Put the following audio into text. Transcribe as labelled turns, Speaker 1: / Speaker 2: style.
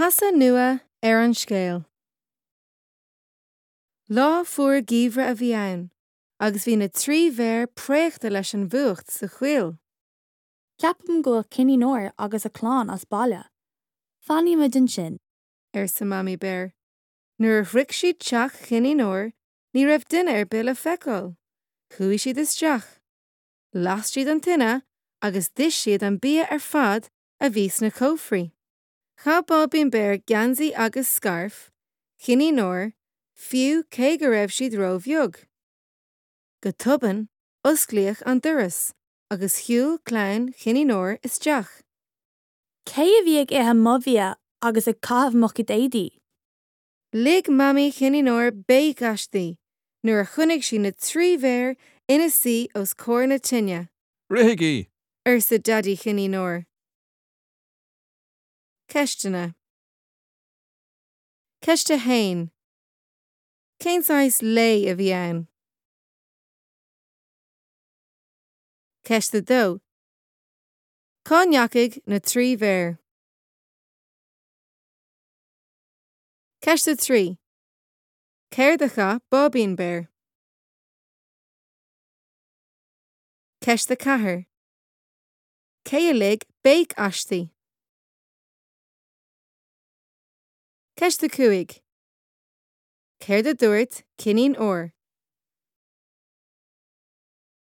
Speaker 1: Casadh nua ar an scéal. Lá fuar geimhridh a bhí ann agus bhí na 3 bhéar préachta leis an bhfuacht sa choill.
Speaker 2: Ceapaim go bhfuil Cinnín Óir agus a clann as baile. Fanfaimid ansin.
Speaker 1: arsa Mamaí Béar. Nuair a shroich siad teach Chinnín Óir ní raibh duine ar bith le feiceáil. Chuaigh siad isteach. Las siad an tine agus d'ith siad an bia ar fad a bhí sna cófraí. Chaith Báibín Béar geansaí agus scairf Chinnín Óir fiú cé go raibh siad ró-bheag. Go tobann, osclaíodh an doras agus shiúil clann Chinnín Óir isteach.
Speaker 2: Cé a bhí ag ithe mo bhia agus ag caitheamh mo chuid éadaí?
Speaker 1: Lig Mamaí Chinnín Óir béic aisti nuair a chonaic sí na 3 bhéar ina suí os comhair na tine.
Speaker 3: Rithigí!
Speaker 1: arsa Daidí Chinnín Óir. Ceisteanna. Ceist 1. Cén saghas lae a bhí ann? Ceist 2. Cá ndeachaigh na 3 bhéar? Ceist 3. Céard a chaith Báibín Béar? Ceist 4. Cé a lig béic aisti? Ceist 5. Céard a dúirt Cinnín Óir?